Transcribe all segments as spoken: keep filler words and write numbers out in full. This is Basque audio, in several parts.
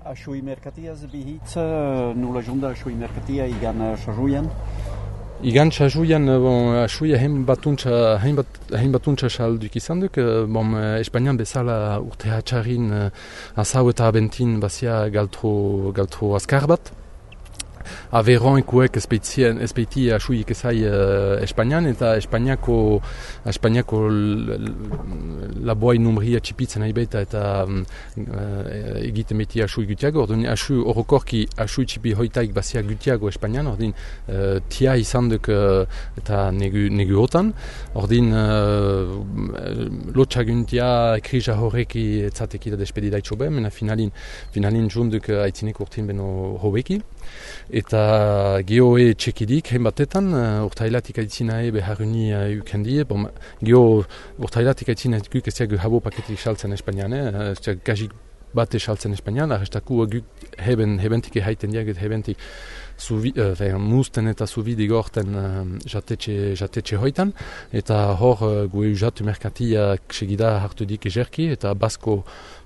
Ashui merkatiaz bihitz, nula junda ashui merkatia igan sajuian? Igan sajuian, bon, asuia hein batuntza, hein bat, hein batuntza salduk izan duk, bon, Espainian bezala urte hatxarin azau eta abentin bazia galtro, galtro azkar bat. Averon ekuek espeiti asuik ezai uh, Espainian, eta Espainiako, Espainiako laboai numria txipitzen nahi baita eta um, uh, egiten beti asui gutiago. Ordin asu orokorki asui txipi hoitaik bazia gutiago Espainian, ordin uh, tia izan duk uh, eta negu, negu otan. Ordin uh, lotxaguntia krija horreki etzateki da despedida itxobe, mena finalin, finalin junduk uh, aitzinek urtin beno hobeki. Eta geoe txekidik, hein batetan, uh, urtailatik aitzinae beharuni uh, ukendie. Bon, geo urtailatik aitzinae guk ez diagu habo paketik saltzen Espainian, eh? Ez diagu gajik bate saltzen Espainian, arrestaku guk heben, hebentik ehaiten diagut hebentik Suvi, uh, musten eta zubide gorten uh, jatetxe, jatetxe hoitan, eta hor uh, gue usatu merkatiak segida hartu dik ejerki, eta basko,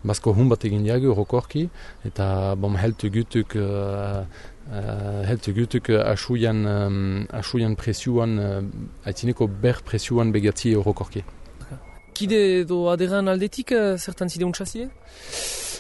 basko hun bat egin diagu rokorki, eta bom heltu gutuk, uh, uh, heltu gutuk asuian, um, asuian presioan, uh, aitzineko ber presioan begatzi rokorki. Kide edo aderan aldetik, uh, zertan zide untsazie?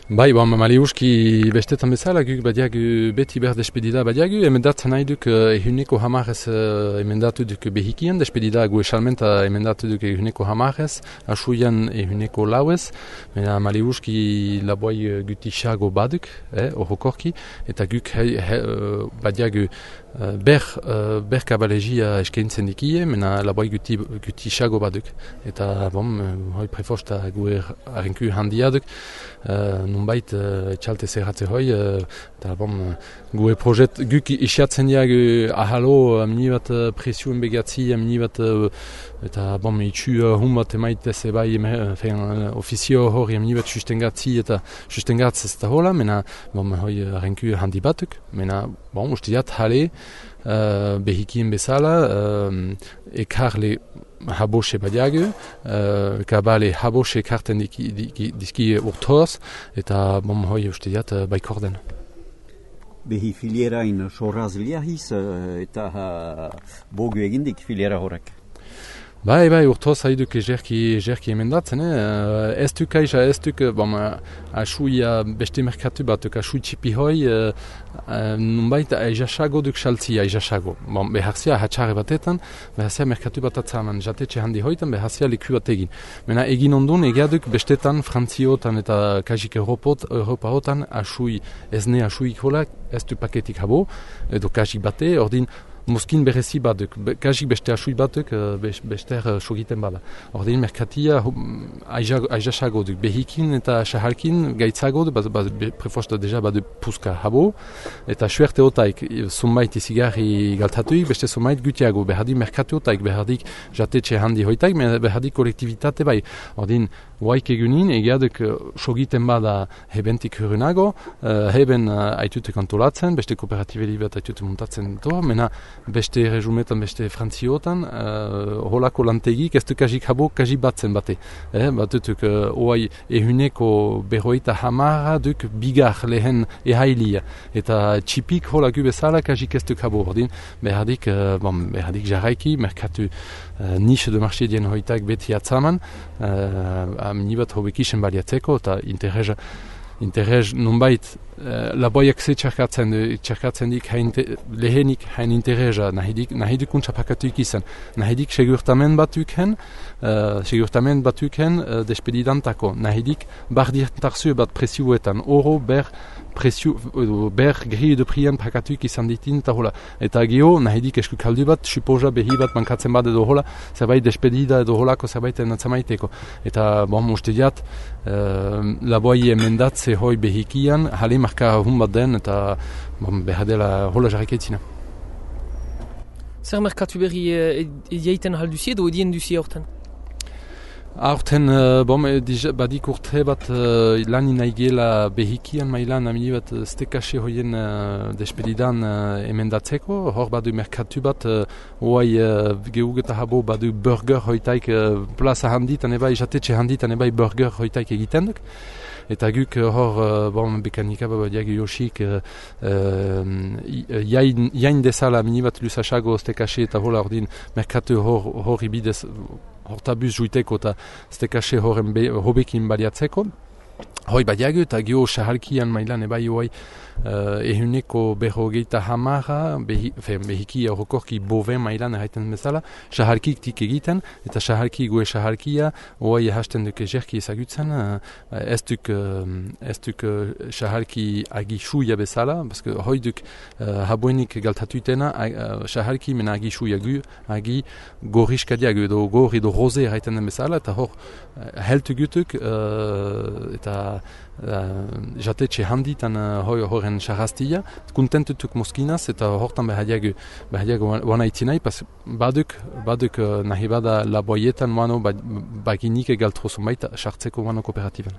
Bai, bon, maliuski bestetan bezala, guk badiagu beti ber despedida badiagu, emendatzen nahi duk uh, ehuneko hamarez uh, emendatu duk behikien, despedida gu esalmenta emendatu duk ehuneko hamarez, asuian ehuneko lauez, mena maliuski laboi guti xago baduk, eh, orokorki, eta guk he, he, uh, badiagu uh, ber, uh, ber kabalegia eskaintzen dikie, mena laboi guti, guti xago baduk, eta bom, hoi prefosta gu er, arrenku handiaduk, uh, nunbait uh, etxalte zerratze hoi, uh, eta bon, uh, gue projet guk isiatzen diagu ahalo, amini bat uh, presioen begatzi, amini bat, uh, eta bon, itxu uh, hun bat emaitez ebai, uh, uh, ofizio hori amini bat sustengatzi, eta sustengatz ez da hola, mena, bon, hoi arrenku handi batuk, mena, bon, uste diat, hale, uh, behikien bezala, uh, ekarle habose badiagu, uh, kabale habose karten diki, diki, dizki urtoz, eta bom hoi uste diat uh, baikorden. Behi filierain sorraz liahiz, uh, eta uh, bogu egindik filiera horrek. Bai, bai, urtoz haiduk ejerki, ejerki emendatzen, eh? Ez duk aiza, ez duk, bom, asuia beste merkatu batuk, asui txipi hoi, uh, uh, nunbait aizasago duk saltzia, aizasago. Bon, beharzia hatxarre batetan, beharzia merkatu bat atzaman, jatetxe handi hoitan, beharzia leku bat egin. Mena egin ondun, egiaduk bestetan, Frantziotan eta kajik Europot, Europa hotan, asui, ezne asuik holak, ez du paketik habo, edo kajik bate, ordin, Moskin berezi batuk, kasik beste asui batuk, bester sogiten bada. Ordin merkatia aizasago duk, behikin eta sahalkin gaitzago, bat, bat, prefosta deja bat puska habo, eta suerte otaik, zumait izigarri galtatuik, beste zumait gutiago, behadi merkatu otaik, behadik jatetxe handi hoitaik, behadik kolektivitate bai. Ordin, huaik egunin, egiaduk sogiten bada hebentik hurrenago, uh, heben uh, aitutek antolatzen, beste kooperatibeli bat aitutek montatzen to, mena beste resumetan, beste frantziotan, uh, holako lantegik, ez du kajik habo, kajik batzen bate. Eh, batutuk, uh, oai ehuneko berroita hamara duk bigar lehen ehailia. Eta txipik holaku bezala kajik ez duk habo. Ordin, behadik, uh, bon, behadik jarraiki, merkatu uh, niche de marché dien hoitak beti atzaman, uh, aminibat hobekisen baliatzeko, eta interesa Interez, nunbait, uh, laboiak ze txarkatzen, txarkatzen dik hain te, lehenik hain intereza, nahidik, nahidik untxapakatuik izan. Nahidik segurtamen batuken, uh, segurtamen batuken uh, despedidantako. Nahidik bardientarzu bat presioetan, oro ber presio, ber gehi edo prian pakatuik izan ditin, eta hola. Eta geho, nahidik esku kaldu bat, supoza behi bat mankatzen bat edo hola, zerbait despedida edo holako zerbaiten atzamaiteko. Eta, bon, uste diat, uh, laboi emendatze hoi behikian, hale marka hun bat den, eta bon, behadela hola jarriketzina. Zer merkatu berri e, e, eiten halduzie edo edien duzie hortan? Aurten, uh, bom, badik urte bat uh, lan inaigela behikian mailan amini bat stekase hoien uh, despedidan uh, emendatzeko. Hor badu merkatu bat, uh, oai uh, geugeta habo badu burger hoitaik uh, plaza handitan ebai, jatetxe handitan ebai burger hoitaik egiten duk. Eta guk hor, uh, bon, bekanika babadiak Yoshik uh, uh, jain, jain dezala amini bat lusasago stekase eta hola ordin merkatu hor, hor ibidez hortabuz juiteko eta stekase horren hobekin baliatzeko. Hoi badiago eta gio sahalkian mailan ebai hoai uh, ehuneko berrogeita hamara behi, behiki horrokorki boven mailan erraiten bezala sahalkik tik egiten eta sahalki goe sahalkia hoai hasten duke jerki ezagutzen uh, ez duk uh, ez duk uh, sahalki agisuia bezala baske hoi duk uh, habuenik galtatutena uh, sahalki mena agisuia gu agi gorriskadiago edo gor edo rose erraiten den bezala eta hor uh, heltu gutuk uh, eta Uh, jatetxe handitan uh, hoi horren sarrastia, kontentutuk moskinaz eta hortan behadiago behadiago wana itzinai, pas baduk, baduk uh, nahi bada laboietan wano baginik egaltrozo baita sartzeko wano kooperatiban.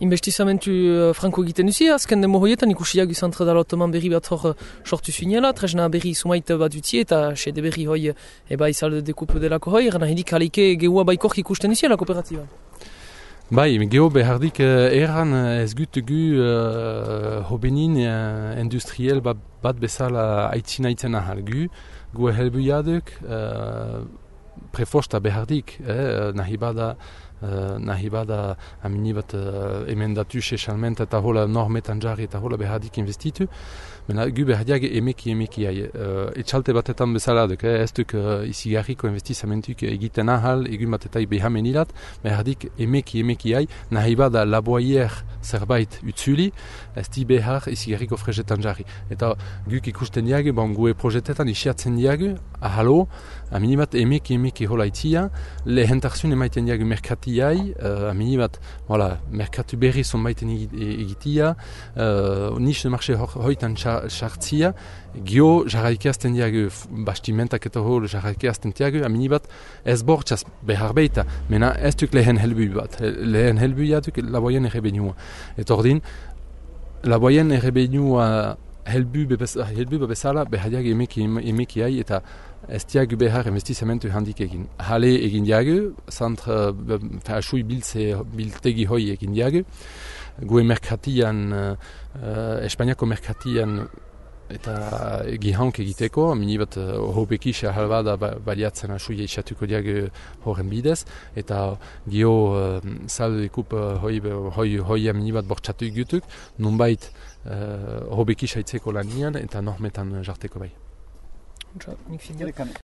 Investizamentu uh, franko egiten duzi, azken demo hoietan ikusiak izantre dalotoman berri bat hor sortu zuinela, tresna berri sumait bat dutie eta sede berri hoi eba izalde dekupu delako hoi, gana hidik halike geua baikork ikusten duzi la kooperatiban. Bai, geho behardik uh, erran ez gutugu uh, hobenin uh, industriel bat, bat bezala aitzina ahal gu, gu helbuiaduk uh, prefosta behardik, eh, nahi bada Uh, nahi bada amini bat uh, emendatu sesalment eta hola normetan jarri eta hola behardik investitu. Mena gu behardiak emeki emeki hai. Uh, etxalte batetan bezala duk, eh, ez duk uh, izigarriko investizamentuk egiten ahal, egun batetai behamenilat, behardik emeki emeki hai, nahi bada laboaier zerbait utzuli, ez di behar izigarriko frezetan jarri. Eta guk ikusten diagu, bon, gue projetetan isiatzen diagu, ahalo, amini bat emeki emeki hola itzia, lehentarzun emaiten diagu merkati Iai, uh, amini bat, voilà, merkatu berri zonbaiten egitia, uh, niche de marché hoitan sartzia, gio jarraikeazten diagu, bastimentak eta hor jarraikeazten diagu, amini bat, ez bortxaz behar beita, mena ez duk lehen helbu bat, lehen helbuia duk laboien errebenua. Eta ordin, laboien errebenua helbu bezala, behadiak emeki emeki hai, eta ez diagu behar investizamentu handik egin. Hale egin diagu, zantra, asui biltegi hoi egin diagu. Gue merkatian, uh, Espainiako merkatian eta gihank egiteko, mini bat uh, hobekisa halbada baliatzen asui eisatuko diagu horren bidez, eta gio uh, saldo ekup uh, hoi, hoi, hoi mini bat bortxatu egutuk, nunbait uh, hobekisa itzeko lanian eta normetan jarteko bai. Nik